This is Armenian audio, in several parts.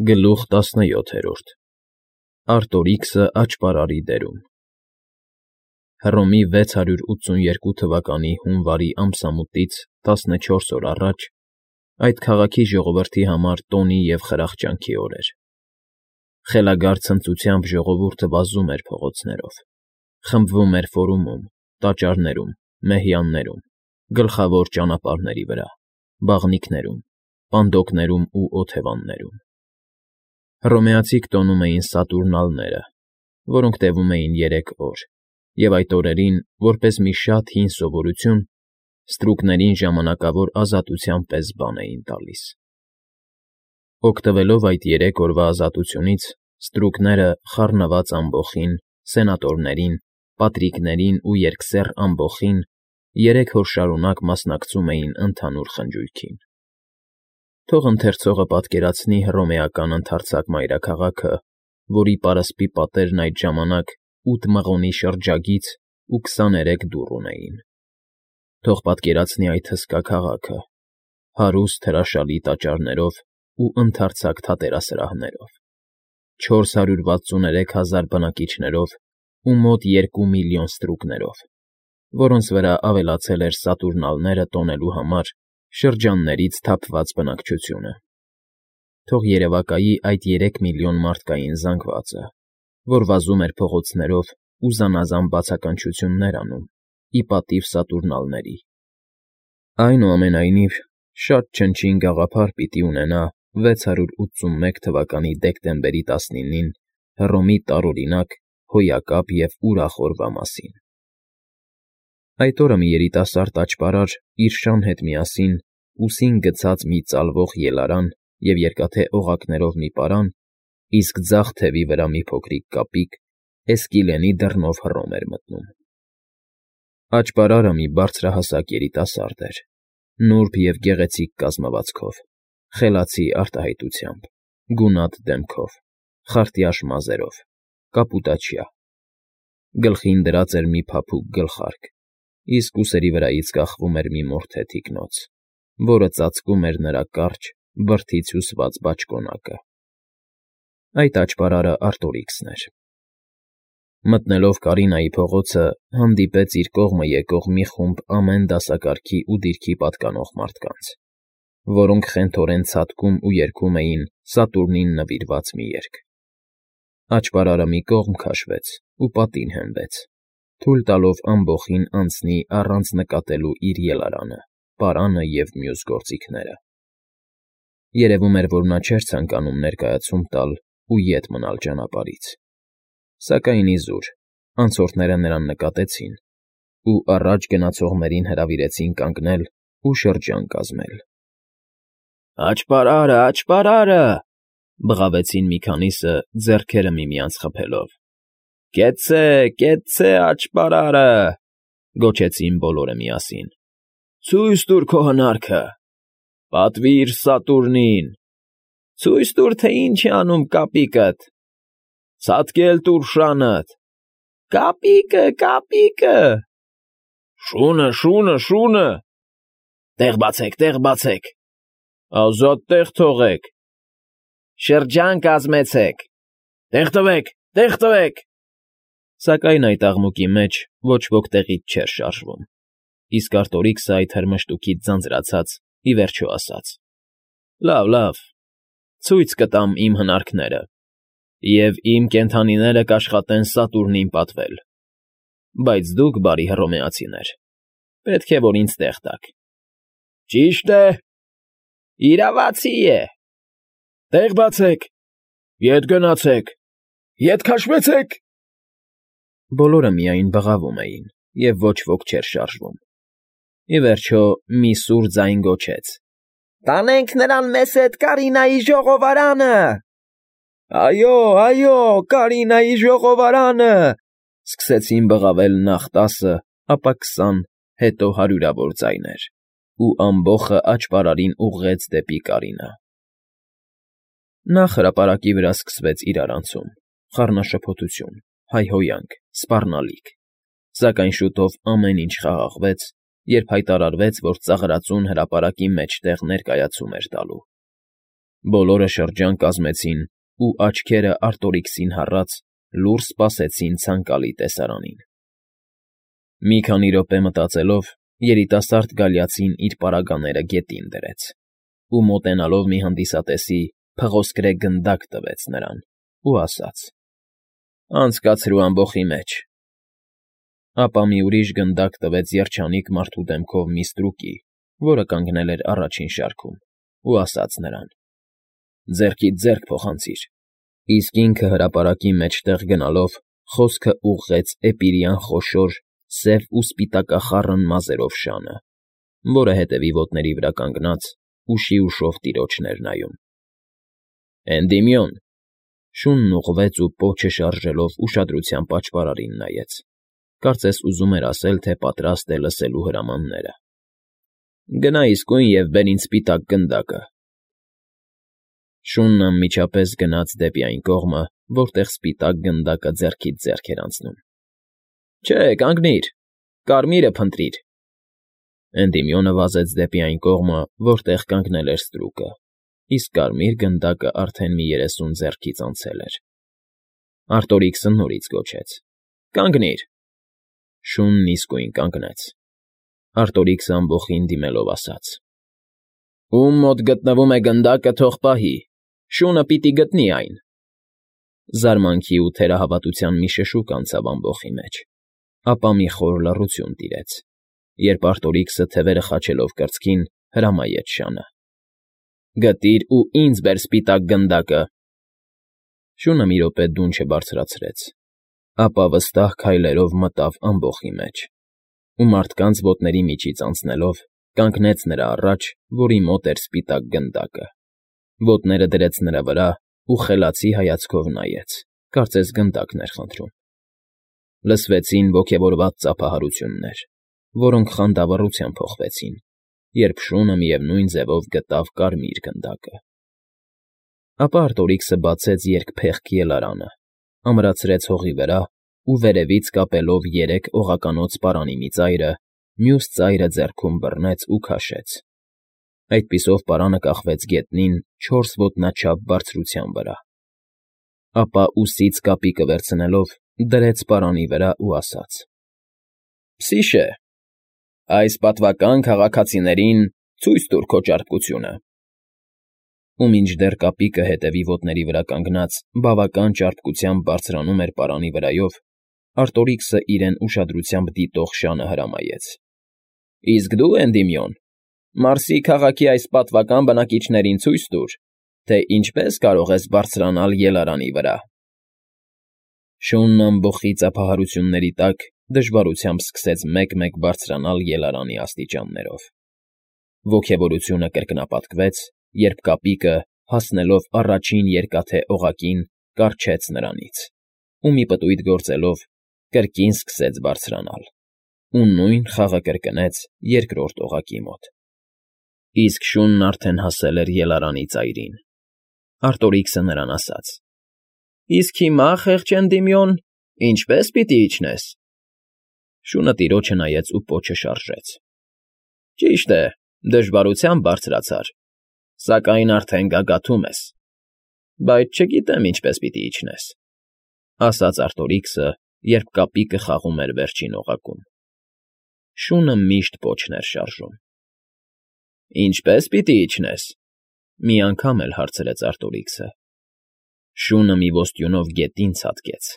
Գլուխ 17 Արտորիքսը աճպարարի դերում Հռոմի 682 թվականի հունվարի ամսամուտից 14 օր առաջ այդ քաղաքի ժողովրդի համար տոնի և խրախճանքի օր էր։ Խելագար ցնծությամբ ժողովուրդը վազում էր փողոցներով, խմբվում էր ֆորումում, տաճարներում, մեհյաններում, գլխավոր ճանապարհների վրա, բաղնիքներում, պանդոկներում ու օթևաններում։ Հռոմեացիք տոնում էին սատուրնալները, որոնք տևում էին 3 օր, և այդ օրերին, որպես մի շատ հին սովորություն, ստրուկներին ժամանակավոր ազատության պես բան էին տալիս։ Օգտվելով այդ 3 օրվա ազատությունից, ստրուկները խառնված ամբոխին, սենատորներին, պատրիկներին ու երկսեռ ամբոխին 3 օր շարունակ մասնակցում էին ընդհանուր խնջույքին։ Թող ընթերցողը պատկերացնի հռոմեական ընդարձակ մայրաքաղաքը, որի պարսպի պատերն այդ ժամանակ 8 մղոնի շրջագիծ ու 23 դուռ ունեին։ Թող պատկերացնի այդ հսկա քաղաքը, հարուստ հրաշալի տաճարներով ու ընդարձակ թատերասրահներով, 463 հազար բնակիչներով ու մոտ 2 միլիոն ստրուկներով, որոնց վրա ավելացել էր սատուրնալները տոնելու համար շրջաններից թափված բնակչությունը։ Թող երևակայի այդ 3 միլիոն մարդկային զանգվածը, որ վազում էր փողոցներով ու զանազան բացականչություններ անում, ի պատիվ սատուրնալների։ Այնուամենայնիվ, շատ չնչին գաղափար պիտի ունենա 681 թվականի դեկտեմբերի 19-ին Հռոմի տարօրինակ, հոյակապ և ուրախ օրվա մասին։ Այդ օրը մի երիտասարդ աճպարար իր շան հետ միասին, ուսին գցած մի ծալվող ելարան և երկաթե օղակներով մի պարան, իսկ ձախ թևի վրա մի փոքրիկ կապիկ, Էսկիլենի դռնով Հռոմ էր մտնում։ Աճպարարը մի բարձրահասակ երիտասարդ էր, նուրբ և գեղեցիկ կազմվածքով, խելացի արտահայտությամբ, գունատ դեմքով, խարտյաշ մազերով, կապուտաչյա։ Գլխին դրած էր մի փափուկ գլխարկ, իսկ ուսերի վրայից կախվում էր մի մորթե թիկնոց, որը ծածկում էր նրա կարճ, բրդից հյուսված բաճկոնակը։ Այդ աճպարարը Արտորիքսն էր։ Մտնելով Կարինայի փողոցը, հանդիպեց իր կողմը եկող մի խումբ ամեն դասակարգի ու դիրքի պատկանող մարդկանց, որոնք խենթորեն ցատկում ու երգում էին Սատուրնին նվիրված մի երգ։ Աճպարարը մի կողմ քաշվեց ու պատին հենվեց, թույլ տալով ամբոխին անցնի առանց նկատելու իր ելարանը, պարանը և մյուս գործիքները։ Երևում էր, որ նա չէր ցանկանում ներկայացում տալ ու ետ մնալ ճանապարհից։ Սակայն իզուր, անցորդները նրան նկատեցին ու առաջ գնացողներին հրավիրեցին կանգնել ու շրջան կազմել։ «Աճպարարը, աճպարարը», բղավեցին մի քանիսը, ձեռքերը միմյանց խփելով։ «Կեցցե, կեցցե աճպարարը», գոչեցին բոլորը միասին։ «Ցույց տուր քո հնարքը, պատվիր Սատուրնին, ցույց տուր, թե ինչ է անում կապիկդ, ցատկել տուր շանդ, կապիկը, կապիկը, շունը, շունը, շունը, տեղ բացեք, տեղ բացեք, ազատ տեղ թողեք, շրջան կազմեցեք, տեղ տվեք, տեղ տվեք»։ Սակայն այդ աղմուկի մեջ ոչ ոք տեղից չէր շարժվում, իսկ Արտորիքսը այդ հրմշտուքից ձանձրացած, ի վերջո ասաց. «Լավ, լավ, ցույց կտամ իմ հնարքները, և իմ կենդանիները կաշխատեն Սատուրնին պատվել, բայց դուք, բարի հռոմեացիներ, պետք է, որ ինձ տեղ տաք»։ «Ճիշտ է, իրավացի է, տեղ բացեք, ետ գնացեք, ետ քաշվեցեք»։ Բոլորը միայն բղավում էին, և ոչ ոք չէր շարժվում։ Ի վերջո մի սուր ձայն գոչեց. «Տանենք նրան մեզ հետ Կարինայի ժողովարանը»։ «Այո, այո, Կարինայի ժողովարանը», սկսեցին բղավել նախ 10, ապա 20, հետո հարյուրավոր ձայներ, ու ամբոխը աճպարարին ուղղեց դեպի Կարինա։ Նախ հրապարակի վրա սկսվեց իրարանցում, խառնաշփոթություն, հայհոյանք, սպառնալիք, սակայն շուտով ամեն ինչ խաղաղվեց, երբ հայտարարվեց, որ ծաղրածուն հրապարակի մեջտեղ ներկայացում էր տալու։ Բոլորը շրջան կազմեցին ու աչքերը Արտորիքսին հառած լուռ սպասեցին ցանկալի տեսարանին։ Մի քանի րոպե մտածելով, երիտասարդ գալիացին իր պարագաները գետին դրեց ու մոտենալով մի հանդիսատեսի փղոսկրե գնդակ տվեց նրան ու ասաց. «Անցկացրու ամբոխի մեջ»։ Ապա մի ուրիշ գնդակ տվեց երջանիկ մարդու դեմքով մի ստրուկի, որը կանգնել էր առաջին շարքում, ու ասաց նրան. «Ձեռքիդ ձեռք փոխանցիր»։ Իսկ ինքը հրապարակի մեջտեղ գնալով խոսքը ուղղեց էպիրյան խոշոր, սև ու սպիտակախառն մազերով շանը, որը հետևի ոտների վրա կանգնած ուշի ուշով տիրոջն էր նայում։ «Էնդիմիոն»։ Շունն ուղղվեց ու պոչը շարժելով ուշադրությամբ աճպարարին նայեց, կարծես ուզում էր ասել, թե պատրաստ է լսելու հրամանները։ «Գնա իսկույն և բեր ինձ սպիտակ գնդակը»։ Շունն անմիջապես գնաց դեպի այն կողմը, որտեղ սպիտակ գնդակը ձեռքից ձեռք էր անցնում։ «Չէ, կանգնիր, կարմիրը փնտրիր»։ Էնդիմիոնը վազեց դեպի այն կողմը, որտեղ կանգնել էր ստրուկը, իսկ կարմիր գնդակը արդեն մի 30 ձեռքից անցել էր։ Արտորիքսը նորից գոչեց. «Կանգնիր»։ Շունն իսկույն կանգնեց։ Արտորիքսը ամբոխին դիմելով ասաց. «Ում մոտ գտնվում է գնդակը, թող պահի, շունը պիտի գտնի այն»։ Զարմանքի ու թերահավատության մի շշուկ անցավ ամբոխի մեջ, ապա մի խոր լռություն տիրեց, երբ Արտորիքսը թևերը խաչելով կրծքին հրամայեց շանը. «Գտիր ու ինձ բեր սպիտակ գնդակը»։ Շունը մի րոպե դուն չբարձրացրեց, ապա վստահ քայլերով մտավ ամբոխի մեջ ու մարդկանց ոտների միջից անցնելով կանգնեց նրա առաջ, որի մոտ էր սպիտակ գնդակը, ոտները դրեց նրա վրա ու խելացի հայացքով նայեց, կարծես գնդակն էր խնդրում։ Լսվեցին ոգևորված ծափահարություններ, որոնք խանդավառությամբ փոխվեցին, երբ շունը միևնույն ձևով գտավ կարմիր գնդակը։ Ապա Արտորիքսը բացեց երկփեղկ ելարանը, ամրացրեց հողի վրա ու վերևից կապելով 3 օղականոց պարանի մի ծայրը, մյուս ծայրը ձեռքում բռնեց ու քաշեց։ Այդպիսով պարանը կախվեց գետնին 4 ոտնաչափ բարձրության վրա։ Ապա ուսից կապիկը վերցնելով դրեց պարանի վրա ու ասաց. «Փսիշե, այս պատվական քաղաքացիներին ցույց տուր քո ճարպկությունը»։ Ու մինչդեռ կապիկը հետևի ոտների վրա կանգնած բավական ճարպկությամբ բարձրանում էր պարանի վրայով, Արտորիքսը իրեն ուշադրությամբ դիտող շանը հրամայեց. «Իսկ դու, Էնդիմիոն, Մարսի քաղաքի այս պատվական բնակիչներին ցույց տուր, թե ինչպես կարող ես բարձրանալ ելարանի վրա»։ Շունն ամբոխի ծափահարությունների տակ դժվարությամբ սկսեց մեկ֊մեկ բարձրանալ ելարանի աստիճաններով։ Ոգևորությունը կրկնապատկվեց, երբ կապիկը, հասնելով առաջին երկաթե օղակին, կառչեց նրանից ու մի պտույտ գործելով կրկին սկսեց բարձրանալ, ու նույն խաղը կրկնեց երկրորդ օղակի մոտ։ Իսկ շունն արդեն հասել էր ելարանի ծայրին։ Արտորիքսը նրան ասաց. «Իսկ հիմա, խեղճ Էնդիմիոն, ինչպե՞ս պիտի իջնես»։ Շունը տիրոջը նայեց ու պոչը շարժեց։ «Ճիշտ է, դժվարությամբ բարձրացար, սակայն արդեն գագաթում ես, բայց չգիտեմ ինչպես պիտի իջնես», ասաց Արտորիքսը, երբ կապիկը խաղում էր վերջին օղակում։ Շունը միշտ պոչն էր շարժում։ «Ինչպե՞ս պիտի իջնես», մի անգամ էլ հարցրեց Արտորիքսը։ Շունը մի ոստյունով գետին ցատկեց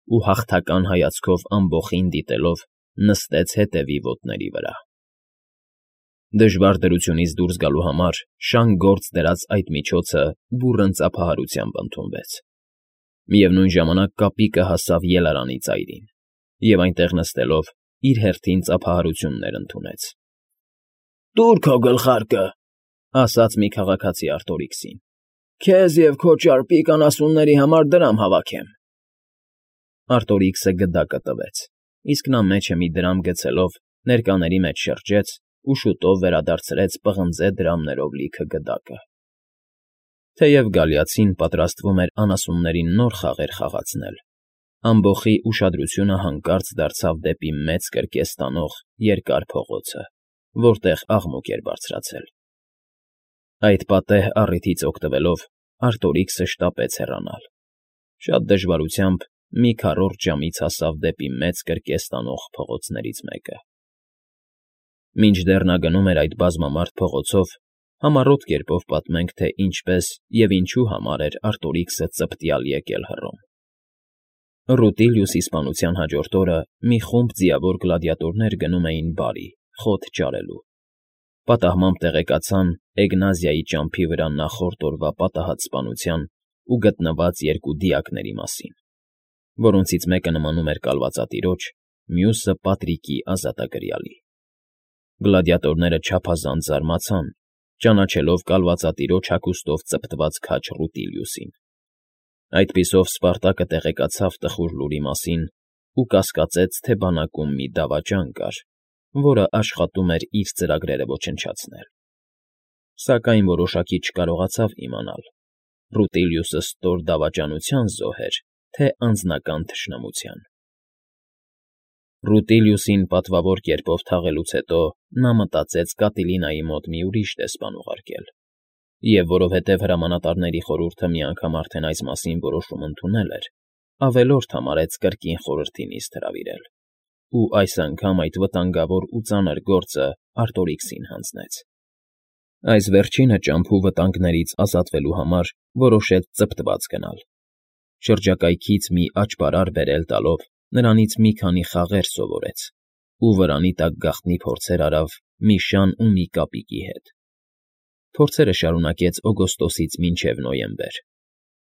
ու հաղթական հայացքով ամբոխին դիտելով նստեց հետևի ոտների վրա։ Դժվար դրությունից դուրս գալու համար շան գործ դրած այդ միջոցը բուռն ծափահարությամբ ընդունվեց։ Միևնույն ժամանակ կապիկը հասավ ելարանի ծայրին և այնտեղ նստելով իր հերթին ծափահարություններ ընդունեց։ «Տուր քո գլխարկը», ասաց մի քաղաքացի Արտորիքսին, «քեզ և քո ճարպիկ անասունների համար դրամ հավաքեմ»։ Արտորիքսը գդակը տվեց, իսկ նա մեջը մի դրամ գցելով ներկաների մեջ շրջեց ու շուտով վերադարձրեց պղնձե դրամներով լիքը գդակը։ Թեև գալիացին պատրաստվում էր անասուններին նոր խաղեր խաղացնել, ամբոխի ուշադրությունը հանկարծ դարձավ դեպի մեծ կրկես տանող երկար փողոցը, որտեղ աղմուկ էր բարձրացել։ Այդ պատեհ առիթից օգտվելով Արտորիքսը շտապեց հեռանալ։ Շատ դժվարությամբ մի քառորդ ժամից հասավ դեպի մեծ կրկես տանող փողոցներից մեկը։ Մինչդեռ նա գնում էր այդ բազմամարդ փողոցով, համառոտ կերպով պատմենք, թե ինչպես և ինչու համար էր Արտորիքսը ծպտյալ եկել Հռոմ։ Ռուտիլիուսի սպանության հաջորդ օրը մի խումբ ձիավոր գլադիատորներ գնում էին բարի, խոտ ճարելու։ Պատահմամբ տեղեկացան Էգնազիայի ճամփի վրա նախորդ օրվա պատահած սպանության ու գտնված երկու դիակների մասին, որոնցից մեկը նմանում էր կալվածատիրոջ, մյուսը Պատրիկի ազատագրյալի։ Գլադիատորները չափազանց զարմացան, ճանաչելով կալվածատիրոջ հագուստով ծպտված քաջ Ռուտիլիուսին։ Այդպիսով Սպարտակը տեղեկացավ տխուր լուրի մասին ու կասկածեց, թե բանակում մի դավաճան կար, որը աշխատում էր իր ծրագրերը ոչնչացնել։ Սակայն որոշակի չկարողացավ իմանալ՝ Ռուտիլիուսը ստոր դավաճանության զոհ էր, թե անձնական թշնամության։ Ռուտիլիուսին պատվավոր կերպով թաղելուց հետո նա մտածեց Կատիլինայի մոտ մի ուրիշ դեսպան ուղարկել, և որովհետև հրամանատարների խորհուրդը մի անգամ արդեն այս մասին որոշում ընդունել էր, ավելորդ համարեց կրկին խորհրդի նիստ հրավիրել, ու այս անգամ այդ վտանգավոր ու ծանր գործը Արտորիքսին հանձնեց։ Այս վերջինը ճամփու վտանգներից ազատվելու համար որոշեց ծպտված գնալ։ Շրջակայքից մի աճպարար բերել տալով նրանից մի քանի խաղեր սովորեց ու վրանի տակ գաղտնի փորձեր արավ մի շան ու մի կապիկի հետ։ Փորձերը շարունակեց օգոստոսից մինչև նոյեմբեր,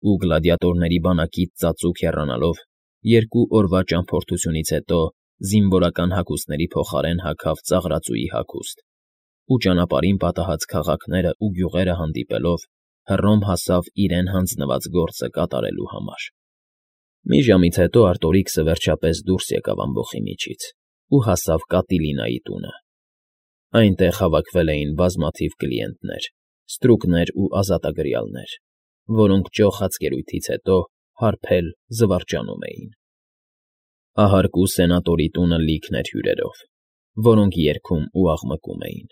ու գլադիատորների բանակից ծածուկ հեռանալով 2 օրվա ճամփորդությունից հետո զինվորական հագուստների փոխարեն հագավ ծաղրածուի հագուստ ու ճանապարհին պատահած քաղաքները ու գյուղերը հանդիպելով Հռոմ հասավ իրեն հանձնված գործը կատարելու համար։ Մի ժամից հետո Արտորիքսը վերջապես դուրս եկավ ամբոխի միջից ու հասավ Կատիլինայի տունը։ Այնտեղ հավաքվել էին բազմաթիվ կլիենտներ, ստրուկներ ու ազատագրյալներ, որոնք ճոխ հացկերույթից հետո հարբել զվարճանում էին։ Ահարկու սենատորի տունը լիքն էր հյուրերով, որոնք երգում ու աղմկում էին։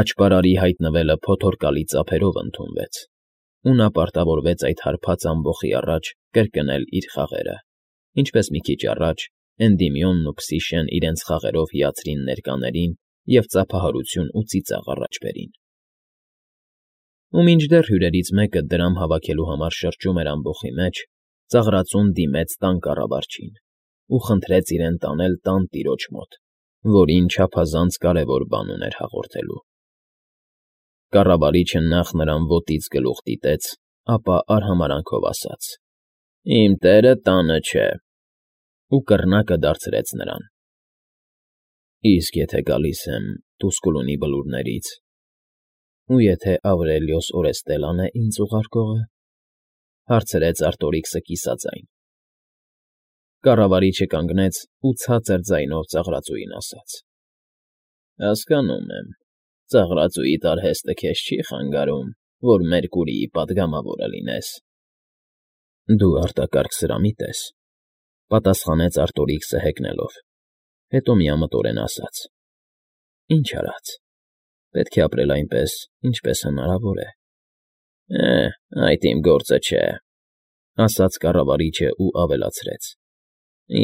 Աճպարարի հայտնվելը փոթորկալի ծափերով ընդունվեց, ու նա պարտավորվեց այդ հարբած ամբոխի առաջ կրկնել իր խաղերը, ինչպես մի քիչ առաջ Էնդիմիոնն ու Փսիշեն իրենց խաղերով հիացրին ներկաներին և ծափահարություն ու ծիծաղ առաջ բերին։ Ու մինչդեռ հյուրերից մեկը դրամ հավաքելու համար շրջում էր ամբոխի մեջ, ծաղրածուն դիմեց տան կառավարչին ու խնդրեց իրեն տանել տան տիրոջ մոտ, որին չափազանց կարևոր բան ուներ հաղորդելու։ Կառավարիչը նախ նրան ոտից գլուխ դիտեց, ապա արհամարհանքով ասաց. «Իմ տերը տանը չէ», ու կռնակը դարձրեց նրան։ «Իսկ եթե գալիս եմ Տուսկուլունի բլուրներից, ու եթե Ավրելիոս Օրեստելան է ինձ ուղարկողը,֊ հարցրեց Արտորիքսը կիսաձայն։ Կառավարիչը կանգնեց ու ցածր ձայնով ծաղրածուին ասաց. «Հասկանում եմ, ծաղրածուիդ արհեստը քեզ չի խանգարում, որ Մերկուրիի պատգամավորը լինես»։ «Դու արտակարգ սրամիտ ես,֊ պատասխանեց Արտորիքսը հեգնելով, հետո միամտորեն ասաց. «Ինչ արած, պետք է ապրել այնպես, ինչպես հնարավոր է»։ Այդ իմ գործը չէ,֊ ասաց կառավարիչը ու ավելացրեց.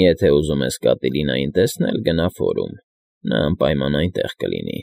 «Եթե ուզում ես Կատիլինային տեսնել, գնա ֆորում, նա անպայման այնտեղ կլինի»։